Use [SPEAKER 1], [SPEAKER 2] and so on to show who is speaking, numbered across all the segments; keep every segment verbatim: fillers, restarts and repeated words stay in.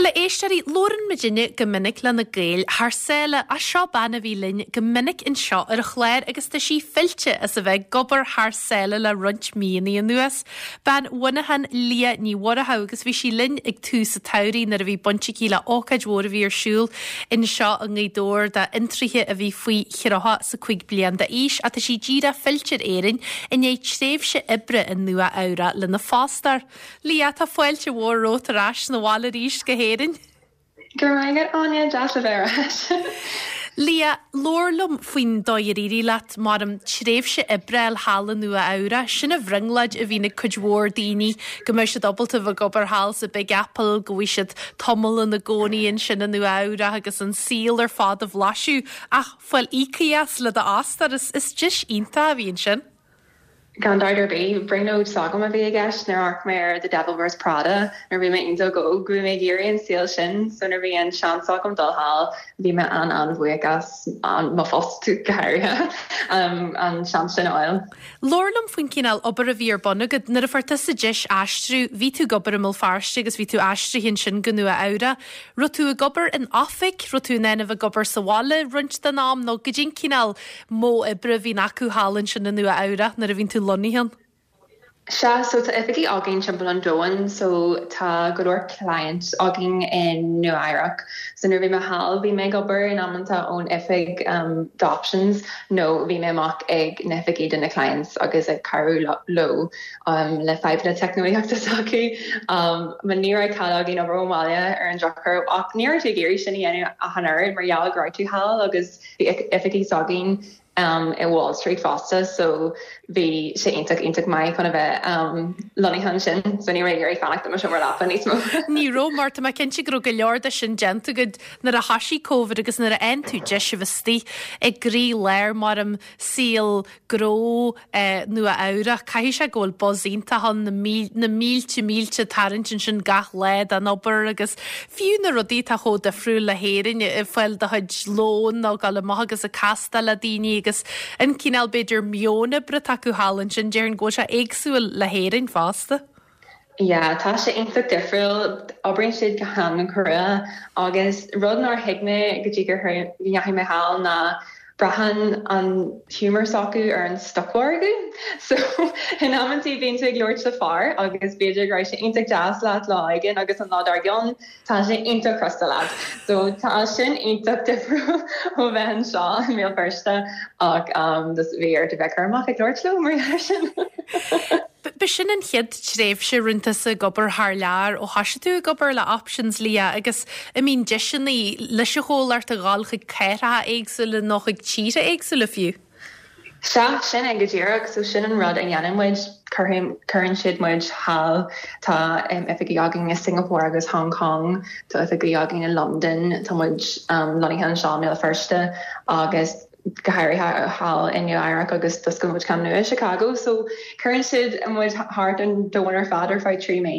[SPEAKER 1] Bhuel a éisteoirí, labhrann muidinne go minic le na Gaeil thar sáile ach seo bean a bhí linn go minic anseo ar an chlár agus tá sí fillte as a bheith ag obair thar sáile le roinnt míonna anuas. Bean Mhuineacháin Liadh Ní Mhurchú agus bhí sí linn ag tús an tsamhraidh nuair a bhí baint aici le ócáid mhór a bhí ar siúl anseo i nGaoth Dobhair d'fhiontraithe a bhí faoi thríocha is a cúig bliain d'aois ach tá sí díreach fillte ar Éirinn i ndiaidh tréimhse oibre i Nua Eabhrac lena fostóir. Liadh tá fáilte mhór romhat ar ais na bhaile arís go hÉirinn.
[SPEAKER 2] Gur maith Áine deas a bheith ar ais.
[SPEAKER 1] Liadh, labhair liom faoin dóigh ar éirigh leat mar an tréimhse oibre thall i Nua Eabhrac, sin an bhrionglóid a bhíonn ag cuid mhór daoine go mbeidh siad ábalta bheith ag obair thall sa Big Apple, go bhfuil siad tamall ina gcónaí ansin i Nua Eabhrac agus an saol ar fad a bhlaiseadh ach fáil íoctha as le d'fhostóir is is deis iontach a bhí ansin.
[SPEAKER 2] Gan dabht ar bith brionglóid s'agam a bhí i gceist nuair a amharc mé ar The Devil Wears Prada nuair bhí mé iontach óg bhí mé ag iarraidh an saol sin so nuair bhí an seans agam dul thall bhí mé an an-bhuíoch as an mo phost go háirithe um, an seans sin a fháil.
[SPEAKER 1] Labhair liom faoin cineál obair a bhí ar bun agat nuair a fuair tusa deis aistriú, bhí tú ag obair i mBéal Feirste agus bhí tú aistrithe ansin go Nua Eabhrac. Raibh tú ag obair in oifig, raibh tú in ann a bheith ag obair sa bhaile roinnt den am nó goidé an cineál modh oibre a bhíonn acu thall ansin i Nua Eabhrac nuair a bhíonn tú lonnaithe ann.
[SPEAKER 2] Sea so tá oifigí againn timpeall an domhain so tá go leor client againn in Nua Eabhrac. So nuair bhí mé thall bhí mé ag obair in amanta ón oifig um, d'options nó bhí mé amach ag na hoifigí de na clients agus ag cabhrú leo um, le fadhbanna teicneolaíochta s'acu. Um, ma ní raibh cead againn obair ón mbaile ar an drochuair ach ní raibh tú ag iarraidh sin a dhéanamh ach an oiread mar gheall go raibh tú thall agus bhí oifigí s'againn um, i Wall Street fosta so bhí sé iontach iontach maith chun a bheith um, lonnaithe ansin so ní raibh iarraidh fanacht i mo seomra leapa níos mó.
[SPEAKER 1] Ní raibh mar tá mé cinnte go raibh go leor de sin déanta agat nuair a thosaigh Covid agus nuair a fhaigheann tú deis a bheith istigh i gcroílár mar an saol gnó eh, Nua Eabhrac caithfidh sé go bhfuil buzz iontach ann na na mílte mílte tarraingt ansin gach lá den obair agus fiú na rudaí atá chomh difriúil le hÉirinn ag fáil do chuid lóin nó dul amach agus ag castáil le daoine agus an cineál b'fhéidir meon oibre atá acu thall ansin déarfainn go bhfuil sé éagsúil le hÉirinn fosta.
[SPEAKER 2] Ja, tá sé iontach difriúil oibríonn siad go han-chrua agus rud nár thuig mé go dtí gur ndeachaigh mé thall ná braitheann an humor s'acu ar an stocmhargadh. So in amanntaí bíonn tú ag labhairt le fear agus b'fhéidir go raibh sé iontach deas leat lá éigin agus an lá dár gcionn tá sé iontach crosta leat. So tá sin iontach difriúil ó bheith anseo i mBéal Feirste ach um, bhí ort a bheith cúramach ag labhairt leo mar sin.
[SPEAKER 1] B'shin an chéad tréimhse rinne tusa ag obair thar lear ó thosaigh tú ag obair le Options Liadh agus an mbíonn deiseanna leis an chomhlacht a ghabháil chuig cathracha éagsúla nó chuig tíortha éagsúla fiú.
[SPEAKER 2] Sea sin é go díreach so sin an rud a dhéanann muid cuireann siad muid thall tá um, oifigí againn i Singapore agus Hong Kong tá oifigí againn i London tá muid um, lonnaithe anseo i mBéal Feirste agus go háirithe thall in Nua Eabhrac agus d'oscail muid ceann nua i Chicago so cuireann siad muid thart an domhan ar fad ar feadh trí mí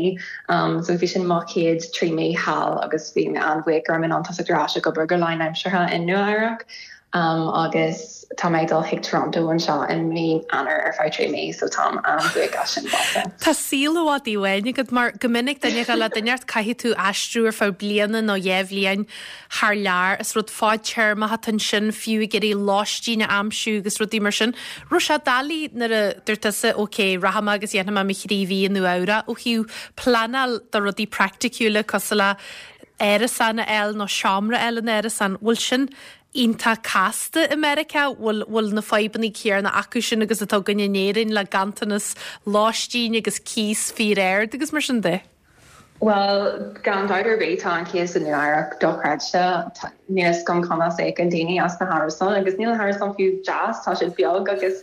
[SPEAKER 2] um, so bhí sin mo chéad trí mí thall agus bhí mé an-bhuíoch go raibh mé in ann tosach ar ais ag obair go lánaimseartha in Nua Eabhrac. Um, agus tá mé dul chuig Toronto anseo in mí Eanáir ar feadh trí mí so táim an-bhuíoch as sin fosta.
[SPEAKER 1] Tá saol i bhfad uainn agat mar go minic duine le duine caithfidh tú aistriú ar feadh bliana nó dhá bhliain thar lear is rud fadtéarmach atá ansin fiú ag iarraidh lóistín a aimsiú agus rudaí mar sin. Raibh sé doiligh nuair a dúirt tusa ok rachaidh mé agus dhéanfaidh mé mo thrí mhí i Nua Eabhrac ó thaobh pleanáil do rudaí praiticiúla cosúil le árasán a fháil nó seomra a fháil in árasán, bhfuil sin iontach casta i Meiriceá bhfuil bhfuil na fadhbanna céanna acu sin agus atá againn in Éirinn le ganntanas lóistín agus cíos fíor-ard agus mar sin de.
[SPEAKER 2] Well gan dabht ar bith tá an cíos in Nua Eabhrac dochreidte níl a fhios agam conas a íocann daoine as na hárasáin agus níl na hárasáin fiú deas tá siad beag agus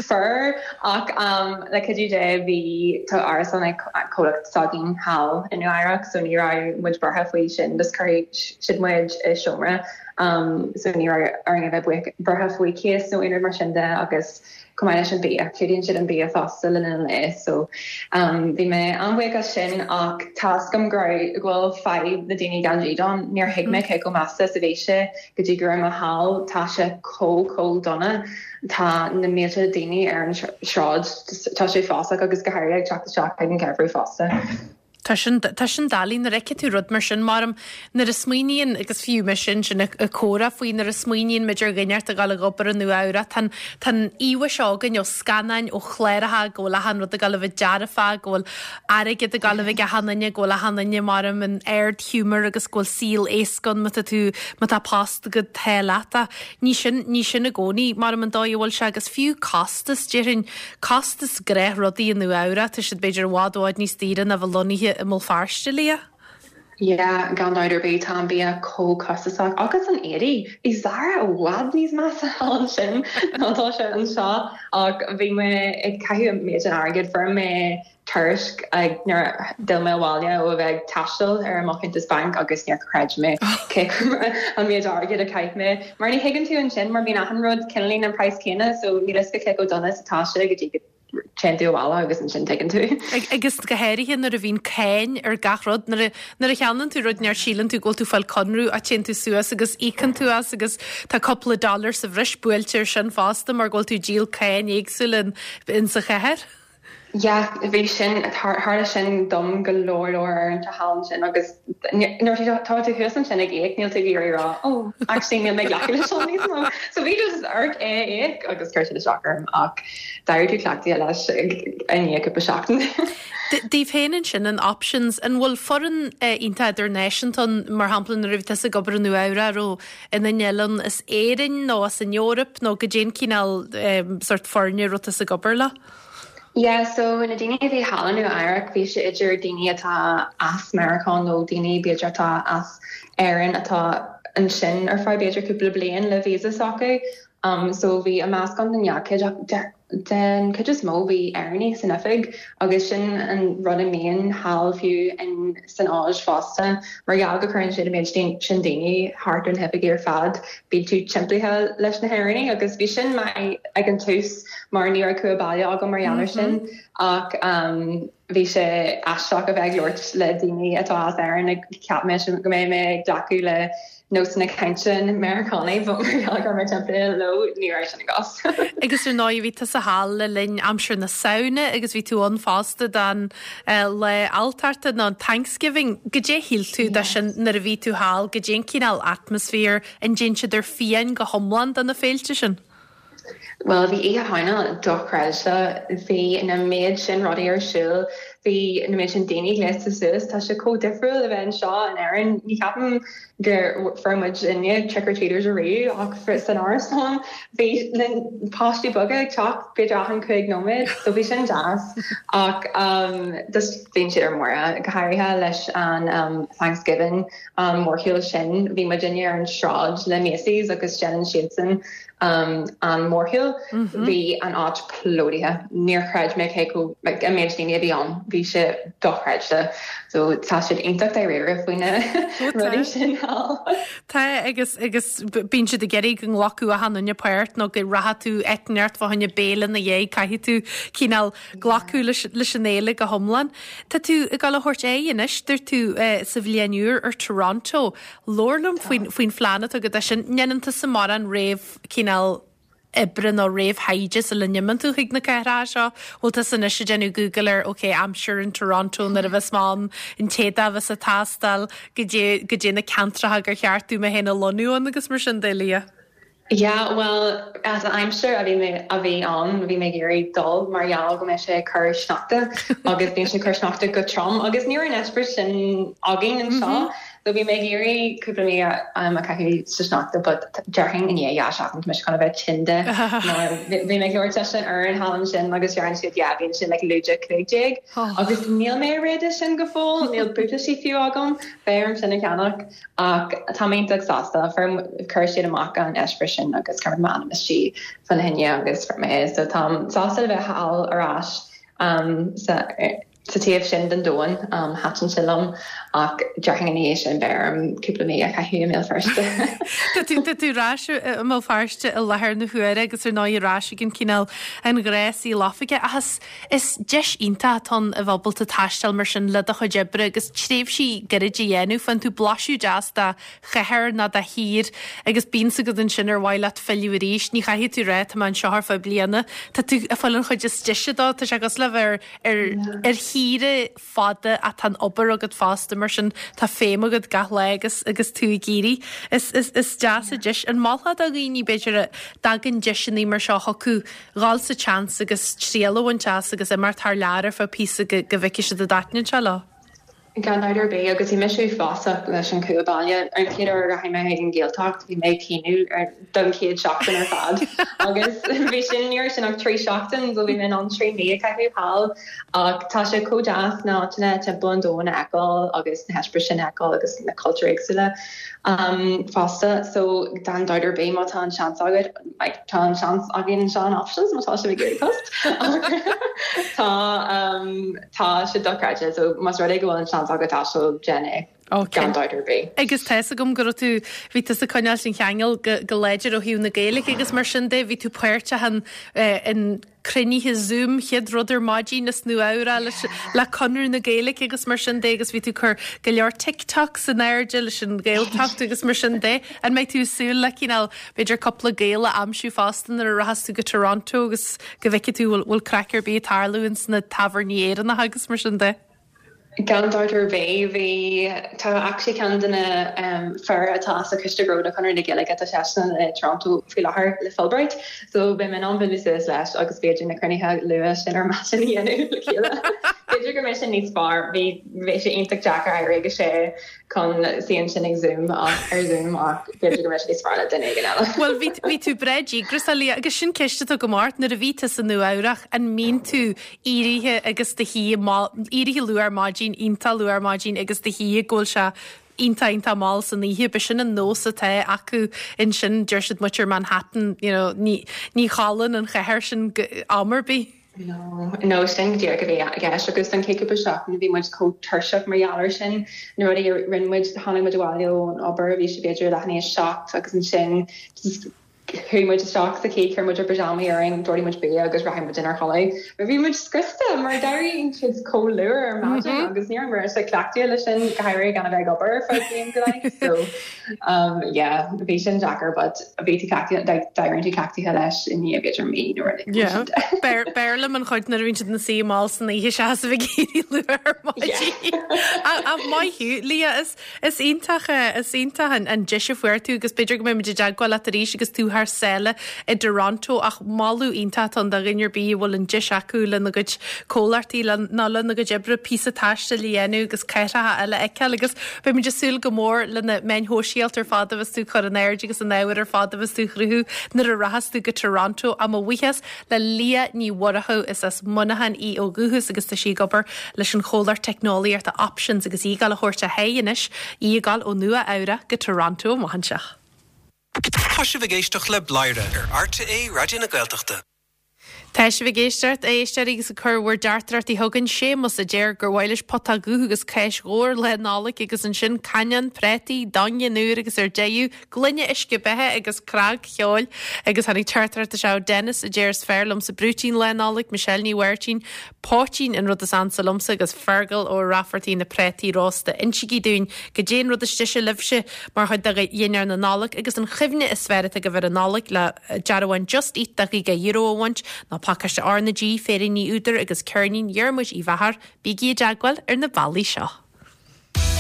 [SPEAKER 2] fuar ach um, le cuidiú Dé bhí tá árasán ag comhlacht s'againn thall in Nua Eabhrac so ní raibh muid buartha faoi sin dus chuir siad muid i seomra um, so ní raibh orainn a bheith buartha faoi cíos nó aon rud mar sin de agus chomh maith leis an bia clúdaíonn siad an bia fosta le linn lae so um, bhí mé an-bhuíoch as sin ach tá a fhios agam go bhfuil fadhb na daoine gan dídean níor thuig mé cé chomh measa is a bhí sé go dtí go raibh mé thall tá sé chomh chomh dona tá na mílte daoine ar an sráid tá sé uafásach agus go háirithe ag teacht isteach ag an gheimhreadh fosta.
[SPEAKER 1] Tá sin tá sin doiligh nuair a fheiceann tú rud mar sin mar nuair a smaoiníonn agus fiú me sin sin a chomhrá faoi nuair a smaoiníonn muid ar dhuine ag dul ag obair i Nua-Eabhrac tá tá íomhá seo againn ó scannáin ó chláracha go bhfuil achan rud ag dul a bheith dearfa go bhfuil airgead ag dul a bheith ag achan duine go bhfuil achan duine mar in ardghiúmar agus go bhfuil saol éasca má tá tú má tá post go te leata. Ní sin ní sin i gcónaí mar an dóigh a bhfuil sé agus fiú costas déarfainn costas gnáthrudaí i Nua-Eabhrac tá siad b'fhéidir i bhfad i bhfad níos daoire ná bheith lonnaithe i mBéal Feirste Leah.
[SPEAKER 2] Yeah, gan dabht ar bith tá an bia chomh costasach agus an éadaí Bhí Zara i bhfad níos measa ansin ná tá sé anseo ach bhí mé ag caitheamh méid an airgid fuair mé tuairisc ag nuair a d'fhill mé abhaile ó bheith ag taisteal ar mo chuntas banc agus níor chreid mé cé an méid airgid a chaith mé. Mar ní thuigeann tú ansin mar bíonn achan rud cineál an praghas céanna so níl a fhios agat cé chomh dona is atá sé go dtí go dtéann tú abhaile agus ansin tuigeann tú.
[SPEAKER 1] Agus go háirithe nuair a bhíonn cáin ar gach rud nuair a cheannaíonn tú rud near síleann tú go bhfuil tú fáil conradh a téann tú suas agus íocann tú as agus tá cúpla dollar sa bhreis buailte ar sin fosta mar go bhfuil tú ag díol cáin éagsúil in, in sa chathair.
[SPEAKER 2] Ja, bhí sin tharla sin dom go leor leor ar an thall sin agus nuair tá tú thuas ansin ag íoc níl tú ag iarraidh rá ó actually níl mé glacadh leis seo níos mó. So bhí just ort é íoc agus chuir siad isteach orm ach d'éirigh tú cleachtaithe leis i ndiaidh cúpla seachtain.
[SPEAKER 1] Daoibh féin ansin an options an bhfuil foireann iontach idirnáisiúnta mar shampla nuair a bhí tusa ag obair i Nua-Eabhrac nó ina n-eilean as Éirinn nó as an Eoraip nó goidé an cineál um, sort foirne a raibh tusa ag obair le?
[SPEAKER 2] Yeah, so na daoine a bhí thall i Nua-Eabhrac bhí sé idir daoine atá as Meiriceá nó daoine b'fhéidir atá as Éirinn atá ansin ar feadh b'fhéidir cúpla bliain le visa s'acu. Um, so bhí a meascán den gcuid den chuid is mó bhí Éireannaigh san oifig agus sin an rud a mbíonn thall fiú in san Áis fosta mar gheall go gcuireann siad méid sin daoine thart an oifig ar fad bíonn tú timpeallaithe leis na hÉireannaigh agus bhí sin maith ag an tús mar ní raibh cumha baile agam mar gheall air sin ach um, bhí sé aisteach a bheith ag labhairt le daoine atá as Éirinn ag ceap mé go mbeidh mé ag glacadh le nósanna cainte Meiriceánaigh mar mé timpeall leo ní raibh sin an cás.
[SPEAKER 1] Agus ar ndóigh bhí tusa thall le linn aimsir na Samhna agus bhí tú ann fosta don uh, Lá Alltachta nó Thanksgiving, goidé shíl tú de sin nuair a bhí tú thall goidé an cineál atmaisféar an dtéann siad ar fiáin go hiomlán do na féilte sin.
[SPEAKER 2] Well bhí Oíche Shamhna dochreidte bhí na méid sin rudaí ar siúl bhí na méid sin daoine gléasta suas tá sé chomh difriúil a bheith anseo in Éirinn ní cheapaim gur fuair muid inne trick or treaters ariamh ach san árasán bhí na páistí beaga ag teacht b'fhéidir achan cúig nóiméad so bhí sin deas ach um, just bhíonn siad ar mire go háirithe leis an um, Thanksgiving um, mórshiúl sin bhí muid inne ar an sráid le Macy's agus déanann siadsan um, an mórshiúl mm -hmm. bhí an áit plódaithe níor chreid mé cé like, an méid daoine a bhí ann bhí sé dochreidte so tá siad iontach dáiríre faoi na rudaí sin
[SPEAKER 1] Tá agus agus bíonn siad ag iarraidh go nglacfadh achan duine páirt nó go raibh tú eitneart fá choinne béile na dhé caithfidh tú cineál glacadh leis leis an fhéile go hiomlán. Tá tú ag dul a thabhairt aghaidh anois dúirt tú uh, sa bhliain úr ar Toronto. Labhair liom faoin faoin phlean atá agat sin ndéanann tusa mórán réamh cineál oibre nó réamhthaighde sula n-imíonn tú chuig na cathracha seo, bhfuil tusa anois ag déanamh Google ar ok aimsir in Toronto nuair a bheas mé ann an t-éadach a bheas ag teastáil go dtí na ceantracha gur cheart dom mé féin a lonnú ann agus mar sin de Leah.
[SPEAKER 2] Yeah, well as an aimsir a bhí mé a bhí ann bhí mé ag iarraidh dul mar gheall go mbeidh sé cur sneachta agus bíonn sé cur sneachta go trom agus ní an eispéireas sin againn anseo. Mm -hmm. So bhí mé ag iarraidh cúpla mí um, a chaitheamh sa sneachta but déarfainn i ndiaidh dhá seachtain tá mé chun a bheith tinn de mar bhí mé ag labhairt leis an fhoireann thall ansin agus deireann siad yeah bíonn sin like lúide cúig déag agus níl mé réidh sin go fóill níl buataisí fiú agam beidh sin a cheannach ach tá mé iontach sásta chuir siad amach an eispéireas sin agus chuir m'ainm isteach fána choinne agus fuair mé so tá sásta a bheith thall ar ais um, sa sa taobh sin den domhan um, thaitin sé liom ach déarfainn ina dhiaidh sin beidh orm cúpla mí a chaitheamh i mBéal Feirste.
[SPEAKER 1] Tá tú tá tú ar ais i mBéal Feirste i láthair na huaire agus ar ndóigh ar ais ag an cineál an ghnáthshaol oifige ach is is deis iontach atá ann a bheith ábalta taisteal mar sin le do chuid oibre agus tréimhsí gairide a dhéanamh faigheann tú blaiseadh deas de chathair nó de thír agus bíonn a fhios agat ansin ar mhaith leat filleadh arís. Ní chaithfidh tú rá tá mé anseo ar feadh bliana. Tá tú ag fáil an chuid is deise dó, tá sé cosúil le bheith ar ar shaoire fada ach tá an obair agat fosta mar sin tá feidhm agat gach lá agus agus tú ag éirí. Is is is deas an deis an molfá do dhaoine b'fhéidir a dtagann deiseanna mar seo chucu dhul sa tseans agus triail a bhaint as agus imeacht thar lear ar feadh píosa go go bhfeicfidh siad an dtaitníonn sé leo.
[SPEAKER 2] Gan dabht ar bith agus bhí mise uafásach leis an cúl baile an chéad uair a rachaidh mé ag an Ghaeltacht bhí mé ag caoineadh ar don chéad seachtain ar fad agus bhí sin ní sin ach trí seachtain so bhí mé an trí mí a caitheamh thall ach tá sé chomh deas na háiteanna timpeall an domhain a fheiceáil agus na heispéiris sin a fheiceáil agus na cultúir éagsúla um, fosta so gan dabht ar bith má tá an seans agat like, tá an seans againn anseo in Options má tá sé ag iarraidh post tá um, tá sé dochreidte so más rud é go bhfuil an seans agat taisteal déan é gan dabht ar bith.
[SPEAKER 1] Agus tá a fhios agam go raibh tú bhí tú ag coinneáil an cheangal go, go láidir ó thaobh na Gaeilge agus mar sin de bhí tú páirteach in, eh, in cruinnithe Zoom chéad rud ar maidin is Nua-Eabhrac leis le Conradh na Gaeilge agus mar sin de agus bhí tú cur go leor TikTok san airde leis an Ghaeltacht agus mar sin de an mbeidh tú ag súil le cineál b'fhéidir cúpla Gael a aimsiú fosta nuair a rachas tú go Toronto agus go bhfeicfidh tú bhfuil craic ar bith ag tarlú ins na tábhairní Éireannacha agus mar sin de.
[SPEAKER 2] Gan dabht ar bith bhí tá actually ceann de na um, fear atá sa choiste gnó de Chonradh na Gaeilge atá seisean i Toronto faoi láthair le Fulbright, so beidh mé an bualadh leis agus b'fhéidir na cruinnithe luath sin ar maidin a dhéanamh le chéile. B'fhéidir go mbeidh sin níos fearr bhí bhí sé iontach deacair éirí ag a sé chun suí ansin ag Zoom ach ar Zoom ach b'fhéidir go mbeidh sé níos fearr le duine éigin eile.
[SPEAKER 1] Well bhí bhí tú breá díograiseach Leah agus sin ceist atá go maith nuair a bhí tú sa Nua-Eabhrac an mbíonn tú éirithe agus do shuí éirithe luath ar maidin iontach luath ar maidin agus do shuí go bhfuil sé iontach iontach mall san oíche, b'shin an nós atá acu ansin deir siad muintir Manhattan you know, ní, ní chodlaíonn an chathair sin am ar bith.
[SPEAKER 2] No, no sin díreach a bhí i gceist agus an chéad seachtain bhí muid chomh tuirseach mar gheall air sin na rudaí a rinne muid tháinig muid abhaile ón obair bhí sé b'fhéidir leath i ndiaidh a seacht agus ansin chuaigh muid isteach sa chéad chuir muid ár bpyjamas orainn d'ordaigh muid bia agus rachaidh muid inár gcodladh. Bhí muid scriosta mar d'éiríonn siad chomh luath ar maidin agus ní mar sa cleachtaithe leis sin go háirithe gan a bheith ag obair ar bliain go leith. So um, yeah, bhí sin deacair, but bhí tú d'éirigh tú cleachtaithe leis i ndiaidh b'fhéidir mí nó rud
[SPEAKER 1] Yeah. B'fhearr liom an chuid nuair a bhíonn siad ina suí mall san oíche seachas a bheith ag éirí luath ar maidin. A maith thú Leah is is iontach is iontach an, an deis a fuair tú agus b'fhéidir go mbeidh muid i dteagmháil leat arís agus tú thar sáile i Toronto ach moladh iontach an do dhuine ar bith a bhfuil an deis acu lena gcuid comhlachtaí nó lena gcuid oibre píosa taistil a dhéanamh agus cathracha eile a fheiceáil agus beimid ag súil go mór lena meáin shóisialta ar fad a bheas tú ag cur in airde agus an ábhar ar fad a bheas tú ag cruthú nuair a rachas tú go Toronto a mo bhuíochas le Leah Ní Mhurchú is as Muineachán í ó dhúchas agus tá sí ag obair leis an chomhlacht teicneolaíochta Options agus í ag gabháil a thabhairt a haghaidh anois í ag gabháil ó Nua-Eabhrac go Toronto amach anseo.
[SPEAKER 3] Tá sibh ag éisteacht le Bladhaire ar RTÉ Raidió na Gaeltachta.
[SPEAKER 1] Tá sibh ag éisteacht éisteoirí agus ag cur bhur dteachtaireachtaí chugainn Séamus a deir gur mhaith leis pota dubh agus cáis dhubh ar Lá Nollag agus ansin cainneán préataí daingean úr agus ar deireadh gloine uisce beatha agus cnagcheoil agus tháinig teachtaireacht anseo Dennis a deir is fearr liomsa brúitín Lá Nollag Michelle Ní Mháirtín poitín an rud is ansa liomsa agus Fergal ó Raifeartaí na préataí rósta Insígí dúinn goidé an rud is deise libhse mar chuid de dhinnéar na Nollag agus an chuimhne is fearr atá agaibh ar an Nollaig le dearbháin Just Eat de chaoga euro a bhaint ná pacáiste R na G féiríní údar agus ceirnín Dhiarmuid Uí Mheachair bígí i dteagmháil ar na bealaí seo.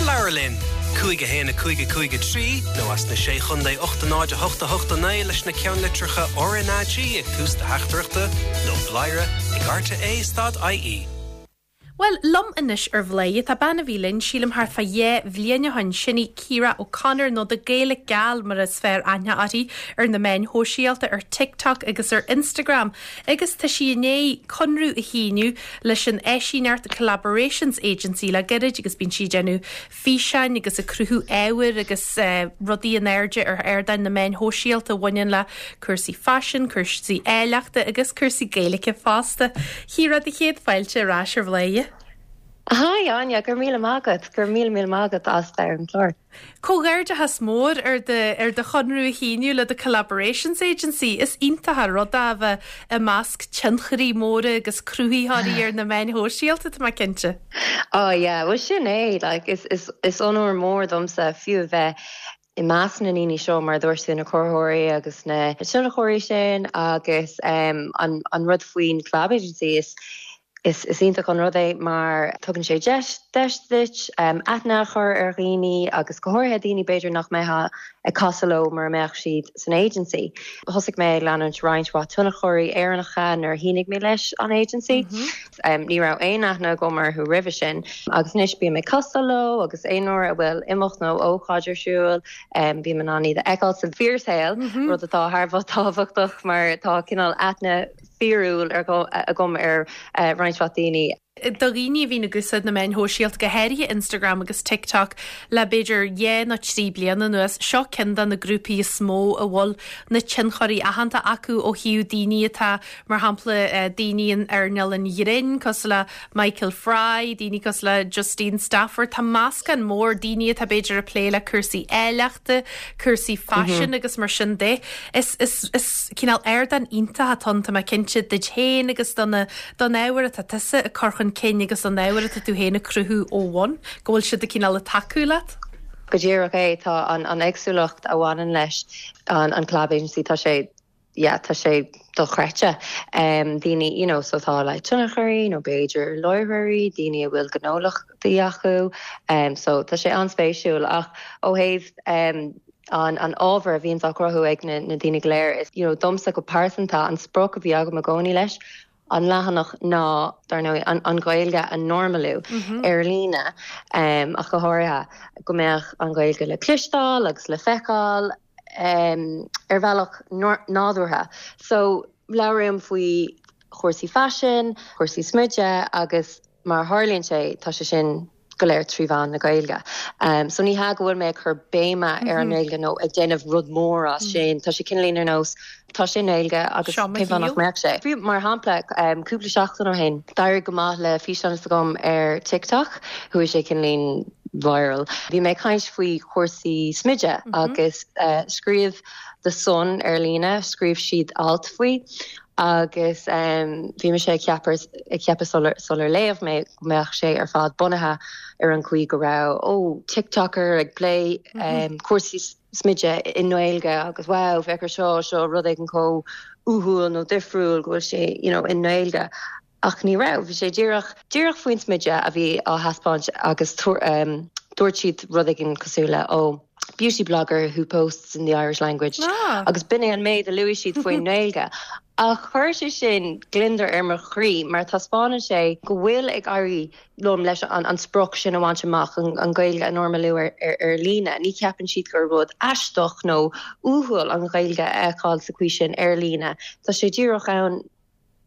[SPEAKER 3] Labhair linn, cúig a haon a cúig a cúig a trí nó as na sé chontae ocht a náid a hocht a hocht a naoi leis na ceannlitreacha RnaG ag tús do theachtaireachta nó bladhaire ag RTÉ dot IE.
[SPEAKER 1] Well, liom anois ar Bhladhaire tá bean a bhí linn sílim thart fá dhá bhliain ó shin sin í Ciara O'Connor nó The Gaelic Gal mar is fearr aithne uirthi ar na meáin shóisialta ar TikTok agus ar Instagram agus tá sí i ndiaidh conradh a shíniú leis an eisíneart Collaborations Agency le gairid agus bíonn sí ag déanamh físeáin agus ag cruthú ábhair agus uh, rudaí in airde ar ardáin na meáin shóisialta a bhaineann le cúrsaí faisin, cúrsaí áilleachta agus cúrsaí Gaeilge fosta. Ciara do chéad fáilte ar ais ar Bhladhaire.
[SPEAKER 2] Hi Áine, go raibh míle maith agat, go raibh míle míle maith agat as ar an chlár.
[SPEAKER 1] Comhghairdeachas mór ar ar do chonradh a shíniú le the Collaborations Agency is iontach an rud é a bheith i measc tionchairí móra agus cruthaitheoirí ar na meáin shóisialta tá mé cinnte.
[SPEAKER 2] Oh yeah, well sin é like is is is onóir mór domsa fiú a bheith i measc na ndaoine seo mar dúirt na cruthaitheoirí agus na tionchairí sin agus um, an, an rud faoin Collab Agency is Is is iontach an rud é mar tugann sé deis deis duit um, aithne a chur ar dhaoine agus go háirithe daoine b'fhéidir nach mbeifeá ag casadh leo mura mbeadh siad san agency. Thosaigh mé leanúint roinnt mhaith tionchairí Éireannacha nuair a shínigh mé leis an agency. Mm -hmm. um, ní raibh aon aithne agam orthu roimhe sin agus anois bím ag casadh leo agus aon uair a bhfuil imeacht nó ócáid ar siúl um, bím in ann iad a fheiceáil sa fíorshaol mm -hmm. rud atá thar bheith tábhachtach mar tá cineál aithne fíorúil agam ar uh, roinnt mhaith daoine.
[SPEAKER 1] Do dhaoine a bhíonn ag úsáid na meáin shóisialta go háirithe Instagram agus TikTok le b'fhéidir dhá nó trí bliana anuas seo ceann de na grúpaí is mó a bhfuil na tionchairí aitheanta acu ó thaobh daoine atá mar shampla eh, daoine in earnáil an ghrinn cosúil le Michael Fry, daoine cosúil le Justine Stafford, Tá meascán mór daoine atá b'fhéidir ag plé le cúrsaí áilleachta, cúrsaí faisin mm -hmm. agus mar sin de. Is, is, is cineál ardán iontach atá ann tá mé cinnte duit féin agus don don ábhar atá tusa ag cur chun cinn agus an ábhar atá tú féin ag cruthú ó bhun, go bhfuil siad cineál ag tacú leat?
[SPEAKER 2] Go díreach é tá an an éagsúlacht a bhaineann leis an an Collab Agency tá sé yeah, tá sé dochreidte um, daoine you know, so tá le tionchairí nó b'fhéidir láithreoirí daoine a bhfuil gnólachtaí acu um, so tá sé an-spéisiúil ach ó thaobh um, an an ábhar a bhíonn á chruthú ag na, na daoine go léir is you know, domsa go pearsanta an sprioc a bhí agam i gcónaí leis an leathanach ná dar ndóigh an, an Ghaeilge a normalú mm -hmm. ar líne um, ach go háirithe go mbeadh an Ghaeilge le cloisteáil agus le feiceáil um, ar bhealach nádúrtha. So labhraím faoi chúrsaí faisin, chúrsaí smididh agus mar tharlaíonn sé tá sé sin go léir trí mheán na Gaeilge. Um, so ní hea go bhfuil mé ag cur béime mm -hmm. ar an nGaeilge nó ag déanamh rud mór as mm. sin, Tá sé cineál ar nós tá sé Gaeilge agus céhanach meach sé. Fiú mar shampla um, cúpla seachtain ó shin, d'éirigh go maith le físeán agam ar TikTok, chuaigh sé cineál viral. Bhí mé ag caint faoi chúrsaí smididh mm -hmm. agus uh, scríobh The Sun ar líne, scríobh siad alt faoi. agus um, bhí mé sé ag ceapadh sular léigh mé go mbeadh sé ar fad bunaithe ar an chaoi go raibh ó TikToker ag plé um, mm -hmm. cúrsaí smididh i nGaeilge agus wow féach seo seo rud éigin chomh uathúil nó difriúil go bhfuil sé you know, i nGaeilge. Ach ní raibh, bhí sé díreach díreach faoin smideadh a bhí á thaispeáint agus um, dúirt siad rud éigin cosúil le ó beauty blogger who posts in the Irish language ah. agus b'in é an méid a luaigh siad faoin nGaeilge. Ach chuir sé sin gliondar ar mo chroí mar taispeánann sé go bhfuil ag éirí liom leis an, an sprioc sin a bhaint amach an, an Ghaeilge a normalú ar, ar, ar líne. Ní cheapann siad gur rud aisteach nó uathúil an Ghaeilge a fheiceáil sa chaoi sin ar líne. Tá sé díreach ann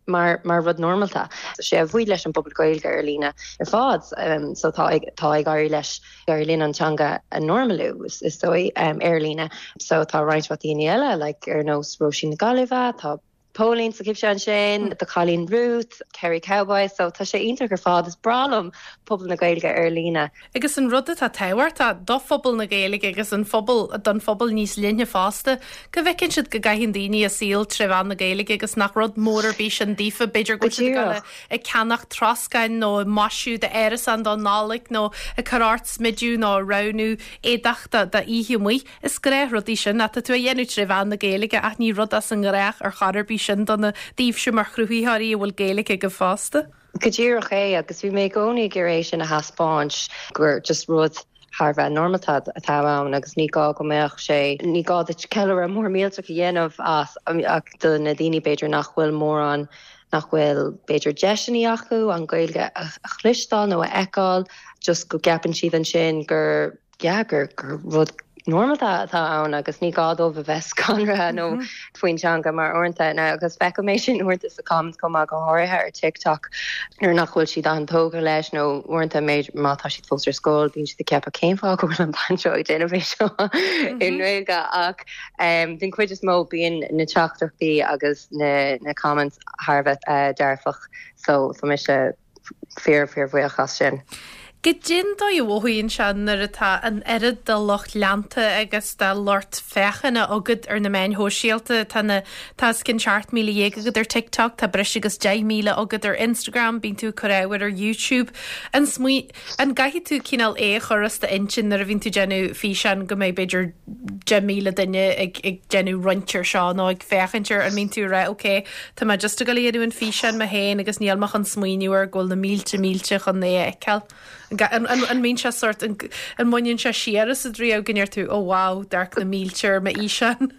[SPEAKER 2] mar mar rud normalta. So sé a bhuí leis an bpobal Gaeilge ar líne ar fad um, so tá tá ag éirí leis ar líne an teanga a normalú is, is dóigh um, ar líne. So tá roinnt mhaith daoine eile like, ar nós Róisín na Gaillimhe, tá Pauline sa cipse sin, tá Cailín Ruth, Kerry Cowboy, so tá sé iontach ar fad is breá liom pobal na Gaeilge ar líne.
[SPEAKER 1] Agus an rud atá tábhachtach do phobal na Gaeilge agus an phobal don phobal níos linne fosta, go bhfeiceann siad go gcaitheann daoine a saol trí mheán na Gaeilge agus nach rud mór ar bith sin daofa b'fhéidir go siad ag ceannach troscáin nó maisiú d'árasán don Nollaig nó ag cur ort smideadh nó roghnú éadach d'oíche amuigh. Is gnáthrudaí sin atá tú a dhéanamh trí mheán na Gaeilge ach ní rud as an ngnách ar chor ar bith sin do na daoibhse mar chruthaitheoirí a bhfuil Gaeilge agaibh fosta.
[SPEAKER 2] Go díreach é agus bhí mé i gcónaí ag iarraidh sin a thaispeáint gur just rud thar bheith normalta atá ann agus ní gá go mbeadh sé ní gá duit ceiliúradh mór millteach a dhéanamh as ach do na daoine b'fhéidir nach bhfuil mórán nach bhfuil b'fhéidir deiseanna acu an Ghaeilge a chloisteáil nó a fheiceáil just go gceapann siad ansin gur yeah, gur gur rud normalta atá ann agus ní gá dóibh a bheith scanraithe nó mm -hmm. faoin teanga mar uaireanta na agus feicim é sin uaireanta sa comments chomh maith go háirithe ar TikTok nuair nach bhfuil siad an-tógtha leis nó uaireanta méid má tá siad fós ar scoil bíonn siad ag ceapadh cén fáth go bhfuil an bhean seo ag déanamh é seo i nGaeilge ach um, den chuid is mó bíonn na teachtaireachtaí agus na, na comments thar bheith uh, dearfach so tá mise fíor fíor bhuíoch as sin.
[SPEAKER 1] Goidé an dóigh a mhothaíonn sé nuair atá an oiread de lucht leanta agus de lucht féachana agat ar na meáin shóisialta tá na tá os cionn seacht míle dhéag agat ar TikTok, tá breis agus deich míle agat ar Instagram, bíonn tú ag cur ábhair ar YouTube. An smaoi an gcaithfidh tú cineál é a chur as d'intinn nuair a bhíonn tú déanamh físeán go mbeidh b'fhéidir deich míle duine ag ag déanamh roinnt ar seo nó ag féachaint air an mbíonn tú ag rá ok, Tá mé just ag dul a dhéanamh an físeán mé féin agus níl mé chun smaoineamh ar go bhfuil na mílte mílte chun é a fheiceáil. An an mbíonn sé sort an mbaineann sé siar asat riamh go ndeir tú ó wow, d'amharc na mílte ar m'fhíseán.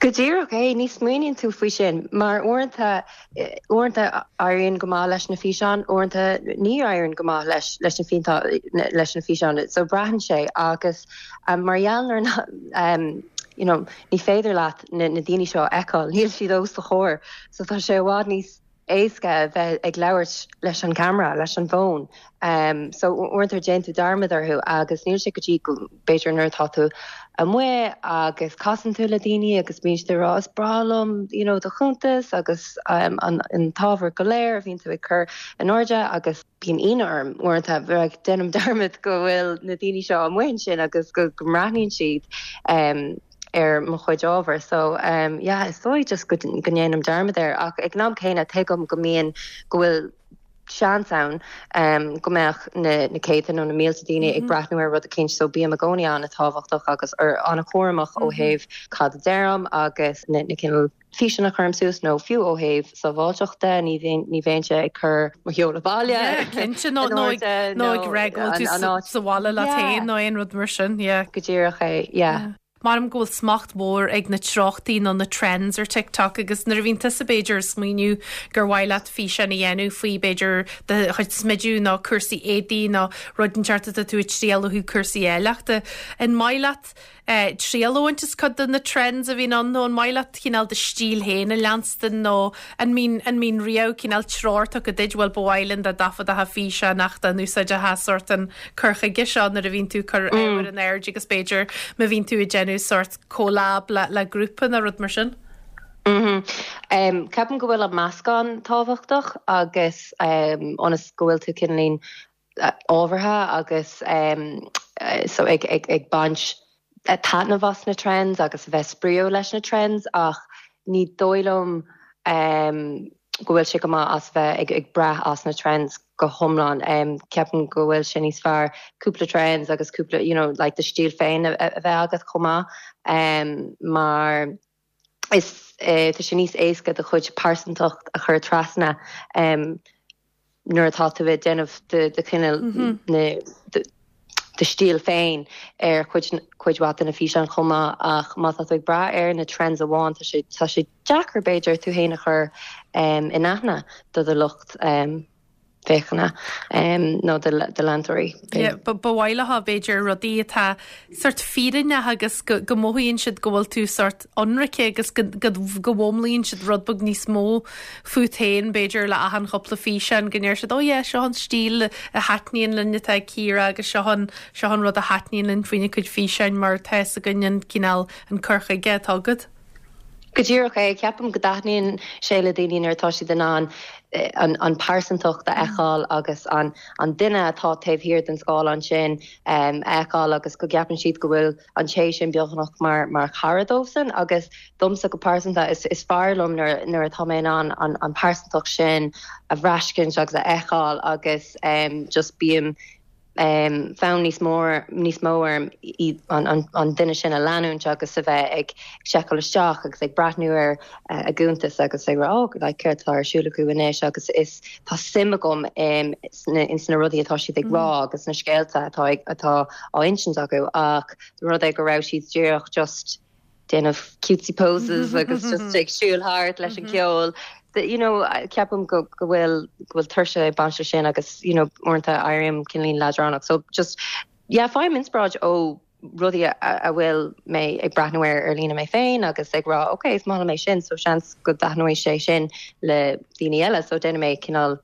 [SPEAKER 2] Go díreach é ní smaoiníonn tú faoi sin mar uaireanta uaireanta éiríonn go maith leis na físeáin, uaireanta ní éiríonn go maith leis leis na físeáin leis na físeáin, so braitheann sé agus um, mar gheall ar um, you know, ní féidir leat na, na daoine seo a fheiceáil, níl siad os do chomhair, so tá sé i bhfad níos éasca bheith ag labhairt leis an camera leis an bhfón. Um, so uaireanta déanann tú dearmad orthu agus níl sé go dtí b'fhéidir nuair atá tú amuigh agus casann tú le daoine agus bíonn siad ag rá is breá liom you know, do chuntas agus um, an, an t-ábhar go léir a bhíonn tú ag cur in airde agus bíonn ionadh orm uaireanta bheith déanaim dearmad go bhfuil na daoine seo amuigh sin agus go go mbreathnaíonn siad um, ar mo chuid ábhar so um, yeah, is dóigh just go go ndéanaim dearmad air ach ag an am céanna tuigim go mbíonn go bhfuil seans ann um, go mbeadh na, na céadta nó na mílte daoine mm -hmm. ag breathnú ar rud eicínt so bím i gcónaí an-tábhachtach agus ar an-chúramach mm -hmm. ó thaobh cad a deirim agus na, na cineál físeáin a chuirim suas nó fiú ó thaobh sábháilteachta ní ní bheinnse ag cur mo sheoladh baile
[SPEAKER 1] Cinnte nó nó ag rá go bhfuil tú sa bhaile leat féin nó aon rud mar sin
[SPEAKER 2] go díreach é yeah.
[SPEAKER 1] Mar go bhfuil smacht mhór ag na treochtaí nó na trends ar TikTok agus nuair a bhíonn tusa b'fhéidir smaoineamh gur mhaith leat físeán a dhéanamh faoi b'fhéidir do chuid smidiú nó cúrsaí éadaí nó rud inteacht atá tú ag triail ó cúrsaí áilleachta. An maith leat eh, triail a bhaint as cuid de na trends a bhíonn ann nó an maith leat cineál do stíl féin a leanstan nó an mbíonn an mbíonn riamh cineál treoir tugtha duit bhfuil ba mhaith linn dá dtaifeadfá físeán ach dá n-úsáidfeá sort an cur chuige seo nuair a bhíonn tú cur mm. ar an aird agus b'fhéidir má bhíonn tú ag déanamh sort collab le, le grúpa nó rud mar sin.
[SPEAKER 2] Mm -hmm. um, Ceapaim go bhfuil an meascán tábhachtach agus um, ionas go bhfuil tú cineáilín ábhartha agus um, so ag, ag, ag baint taitneamh as na trends agus a bheith spraíúil leis na trends ach ní dóigh liom um, go bhfuil sé go maith as bheith ag, ag brath as na trends go hiomlán um, ceapaim go bhfuil sé níos fearr cúpla trends agus cúpla you know, like do stíl féin a, a bheith agat chomh maith um, mar is eh, tá sé níos éasca do chuid pearsantacht a chur trasna um, nuair atá tú ag déanamh de de cineál mm -hmm. na do stíl féin ar chuid chuid mhaith de na físeáin chomh maith ach má tá tú ag brath ar na trends amháin tá sé tá sé deacair b'fhéidir tú féin a chur um, in aithne do do lucht um, féachana um, nó de, de leantóirí.
[SPEAKER 1] Ba mhaith leo b'fhéidir rudaí atá sort fírinneach agus go, go mothaíonn siad go bhfuil tú sort ionraic agus go, go, go bhfoghlaimíonn siad rud beag níos mó fút féin b'fhéidir le achan chúpla físeán go ndeir siad ó yeah, seo an stíl a thaitníonn linn atá Ciara agus seo an seo an rud a thaitníonn linn faoina cuid físeáin mar tá a fhios againn an cineál an cur chuige atá agat.
[SPEAKER 2] Go díreach é ceapaim go dtaitníonn sé le daoine nuair atá siad in ann an, an pearsantacht a fheiceáil agus an, an duine atá taobh thiar den scáileán sin um, a fheiceáil agus go gceapann siad go bhfuil an té sin beagnach mar mar chara dóibhsean agus domsa go pearsanta is, is fearr liom nuair nuair atá mé an an, an pearsantacht sin a bhraithscint agus a fheiceáil agus um, just bím um, fonn níos mór níos mó orm an, an, an duine sin a leanúint agus a bheith ag seiceáil isteach agus ag breathnú ar uh, a gcuntas agus ag rá like, céard atá ar siúl acu anois agus is tá suim agam um, ins na rudaí atá siad ag rá mm. agus na scéalta atá atá á insint acu ach rud é go raibh siad díreach just déanamh cutesy poses agus just ag siúl thart leis an ceol you know ceapaim go go bhfuil go bhfuil tuirse ag baint sin agus you know uaireanta éirím cineáilín leadránach so just yeah faighim inspioráid ó rudaí a bhfuil mé ag breathnú ar ar líne mé féin agus ag rá okay is maith mé sin so seans go dtaitneoidh sé sin le daoine eile so déanfaidh mé cineál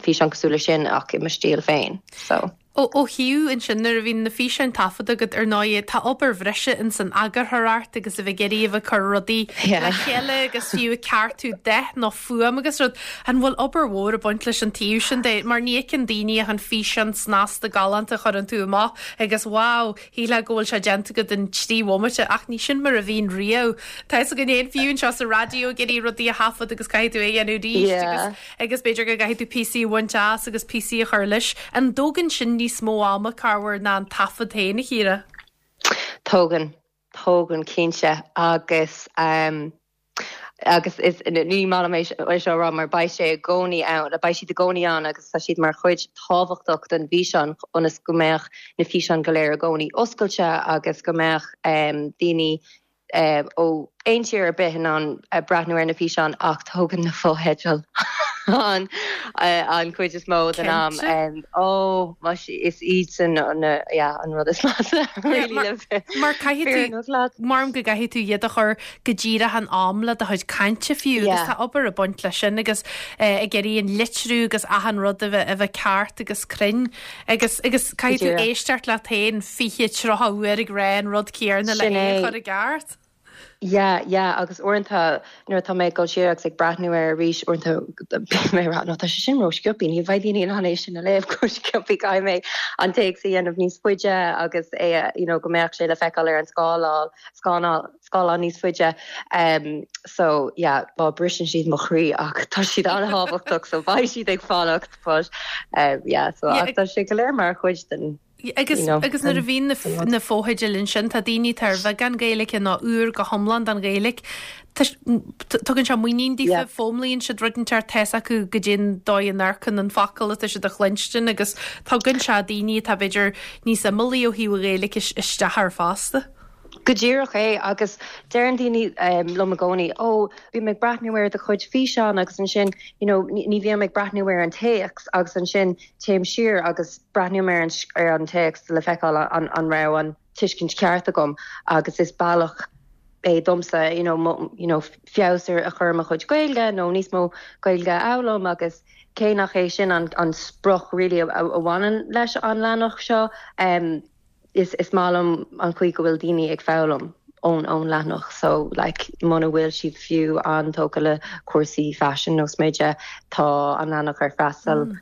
[SPEAKER 2] físeán cosúil sin ach i mo stíl féin so.
[SPEAKER 1] Ó ó thaobh ansin nuair a bhíonn na físeáin taifeadta agat ar ndóigh tá obair bhreise in san eagarthóireacht agus a bheith ag iarraidh a bheith ag cur rudaí le chéile agus fiú ag ceartú dath nó fuaim agus rud. An bhfuil obair mhór ag baint leis an taobh sin de mar ní fheiceann daoine ach an físeán snasta galánta a chuireann tú amach agus wow, shílfeá go bhfuil sé déanta agat in trí bhomaite ach ní sin mar a bhíonn riamh. Tá fhios againn féin fiú anseo sa raidió ag iarraidh rudaí a thaifead agus caithfidh tú é a dhéanamh arís agus agus b'fhéidir go gcaithfidh tú píosaí a bhaint as agus píosaí a chur leis. An dtógann sin níos mó ama corruair ná an taifead féin a Chiara?
[SPEAKER 2] Tógann tógann cinnte agus um, agus is ní maith é seo rá mar beidh sé i gcónaí ann, beidh siad i gcónaí ann agus tá siad mar chuid tábhachtach den bhfíseán ionas go mbeadh na físeáin go léir i gcónaí oscailte agus go mbeadh um, daoine uh, ó aon tír ar bith in ann uh, breathnú ar na físeáin ach tógann na fotheidil an uh, an chuid is mó den am um, ó is iad sin an yeah, an rud is measa really
[SPEAKER 1] mar caithfidh mar go gcaithfidh tú iad a chur go díreach an am le do chuid cainte fiú agus tá obair ag baint leis sin agus uh, ag iarraidh an litriú agus achan rud a bheith a bheith ceart agus cruinn agus agus caithfidh tú éisteacht leat féin fiche tríocha uair ag rá an rud céanna le é chur i gceart.
[SPEAKER 2] Yeah, yeah, agus uaireanta nuair atá mé go siar agus ag breathnú ar arís uaireanta mé rá no tá sé sin ró-sciobtha ní bheidh daoine in ann é sin a léamh go sciobtha caithfidh mé an téacs a dhéanamh níos faide agus é you know, go mbeadh sé le feiceáil ar an scáileán scáileán scáileán níos faide um, so yeah, bá briseann siad mo chroí ach tá siad an-tábhachtach so beidh siad ag fanacht but um, yeah, so yeah, ach tá sé go léir mar chuid den
[SPEAKER 1] Agus you know, agus nuair a bhíonn na fotheidil ansin tá daoine ar bheagán Gaeilge nó úr go hiomlán don Ghaeilge. Tugann sé muinín daofa foghlaimíonn siad rud inteacht tá fhios acu go dtí dóigh an amharcann an focal atá siad a chluinstin agus tugann sé daoine atá b'fhéidir níos imeallaí ó thaobh Gaeilge isteach ar fosta.
[SPEAKER 2] Go díreach é agus deireann daoine um, liom i gcónaí ó bhí mé ag breathnú ar do chuid físeán agus ansin you know, ní bhí ag breathnú ar an téacs agus ansin téim siar agus breathnaím ar an, ar an téacs le feiceáil an, an raibh an tuiscint ceart agam agus is bealach é domsa you know, mo, you know, feabhas a chur mo chuid Gaeilge nó níos mó Gaeilge a fhoghlaim agus cé nach é sin an, an sprioc really a, a bhaineann leis an leathanach seo um, is is maith liom an chaoi go bhfuil daoine ag foghlaim ón ón leathanach so like muna bhfuil siad fiú an-tógtha le cúrsaí fashion nó smideadh tá an leathanach ar freastal mm.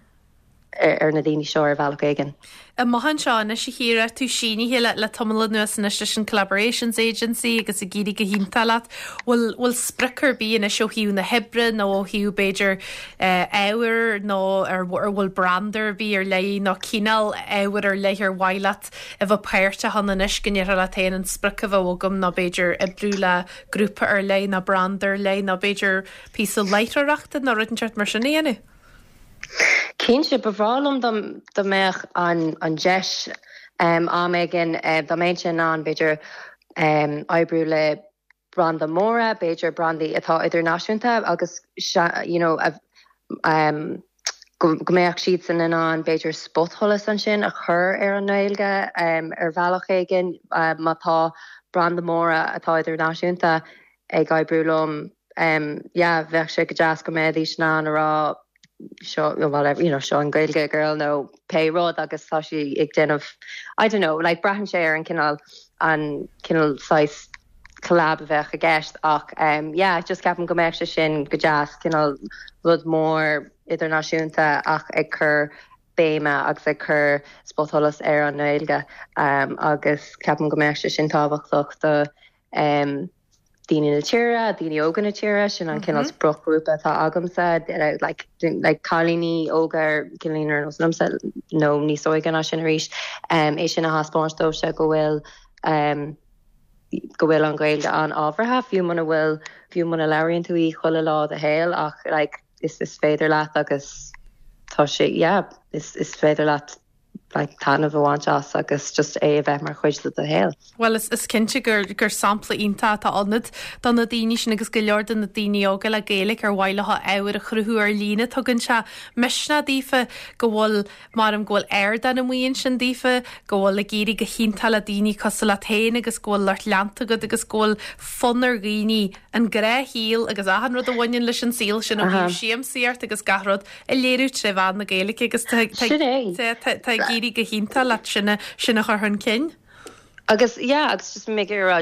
[SPEAKER 2] ar, ar na daoine seo ar bhealach éigin.
[SPEAKER 1] Amach anseo anois a Chiara tú sínithe le le tamall anuas anois leis an Collaborations Agency agus ag éirí go hiontach leat bhfuil bhfuil sprioc ar bith anois ó thaobh na hoibre nó ó thaobh b'fhéidir ábhar nó ar ar bhfuil branda ar bith ar leith nó cineál ábhar ar leith ar mhaith leat a bheith páirteach ann anois go ndéarfá leat féin an sprioc a bheith agam nó b'fhéidir oibriú le grúpa ar leith nó branda ar leith nó b'fhéidir píosa láithreoireachta nó rud inteacht mar sin a dhéanamh.
[SPEAKER 2] Cinnte ba bhreá liom dá mbeadh an an deis um, am éigin uh, dá mbeinn in ann b'fhéidir um, oibriú le branda móra, b'fhéidir brandaí atá idirnáisiúnta agus you know, um, go mbeadh siad san in ann b'fhéidir spotsholas ansin a chur ar an nGaeilge um, ar bhealach éigin uh, má tá branda móra atá idirnáisiúnta ag oibriú liom um, yeah, bheadh sé go deas go mbeidís in ann a rá seo whatever you know seo an Gaeilge girl nó pé rud agus tá sí ag déanamh I don't know like braitheann sé ar an cineál an cineál size collab a bheadh i gceist ach um, yeah, just ceapaim go mbeadh sé sin go deas cineál rud mór idirnáisiúnta ach ag cur béime agus ag cur spotsholas ar an nGaeilge um, agus ceapaim go mbeadh sé sin tábhachtach do um, daoine na tíre, daoine óga na tíre sin an cineál mm -hmm. spriocghrúpa atá agamsa like, like cailíní óga cailíní ar nós liomsa nó níos óige ná sin arís um, é sin a thaispeáint dóibh go bhfuil um, go bhfuil an Ghaeilge an-ábhartha fiú muna bhfuil fiú muna labhraíonn tú í chuile lá de shaol ach like, is is féidir leat agus tá sé yeah, is, is féidir leat like, taitneamh a bhaint as agus just é a bheith mar chuid de do shaol.
[SPEAKER 1] Well is, is cinnte gur gur sampla iontach atá ionat do na daoine sin agus go leor de na daoine óga le Gaeilge ar mhaith leo ábhar a chruthú ar líne tugann sé misneach daofa go bhfuil maram go bhfuil ardán amuigh ansin daofa go bhfuil ag éirí go hiontach le daoine cosúil leat féin agus go bhfuil lucht leanta agat agus go bhfuil fonn ar dhaoine an gnáthshaol agus achan rud a bhaineann leis an saol sin ó thaobh siamsaíocht agus gach rud a léiriú trí mheán na Gaeilge agus tá ag éirí go hiontach leat sin a sin a chur chun cinn.
[SPEAKER 4] Agus yeah, agus just mé rá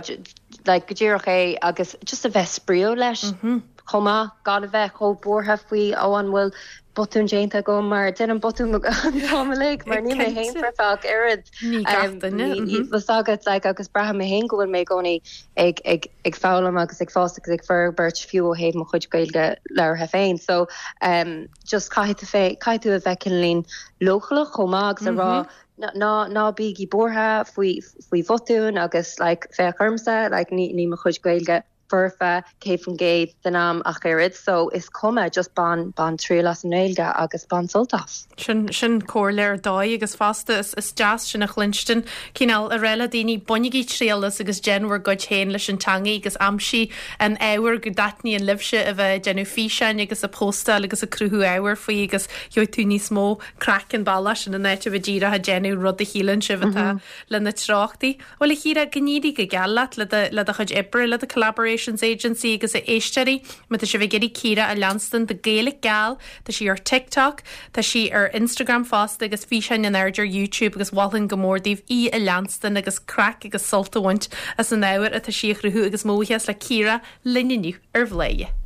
[SPEAKER 4] like go díreach é agus just a bheith spraíúil leis mm -hmm. chomh maith gan a bheith chomh buartha faoi ó an bhfuil botún déanta agam mar déanaim botún uilig mar níl mé féin foirfe oiread agat like, agus braithim mé féin go bhfuil mé i gcónaí ag ag ag foghlaim agus ag fás agus ag forbairt fiú ó thaobh mo chuid Gaeilge labhartha féin so um, just caithfidh tú caithfidh tú a bheith cineál leochaileach chomh maith agus a rá ná ná bígí buartha faoi faoi bhotúin agus like, féach ormsa like, ní ní mo chuid Gaeilge foirfe céad faoin gcéad den am ach oiread so is cuma just bain bain triail as an nGaeilge agus bain sult as.
[SPEAKER 1] Sin sin comhairle ar dóigh agus fosta is, is deas sin a chluinstin cineál a rá le daoine bainigí triail as agus déan bhur gcuid féin leis an teanga agus aimsigh an ábhar go dtaitníonn libhse a bheith déanamh físeáin agus a postáil agus a cruthú ábhar faoi agus gheobhaidh tú níos mó craic an bealach sin in áit a bheith díreach ag déanamh rud a shíleann sibh atá mm -hmm. le na treochtaí. Well a Chiara go n-éirí go geal leat le do le do chuid oibre le do collaborations agency agus a éisteoirí má tá sibh ag iarraidh Ciara a leanstan The Gaelic Gal Tá sí ar TikTok Tá sí ar Instagram fosta agus físeáin in airde ar YouTube agus mholfainn go mór daoibh í a leanstan agus craic agus sult a bhaint as an ábhar atá sí a chruthú agus mo bhuíochas le Ciara linn inniu ar Bhladhaire.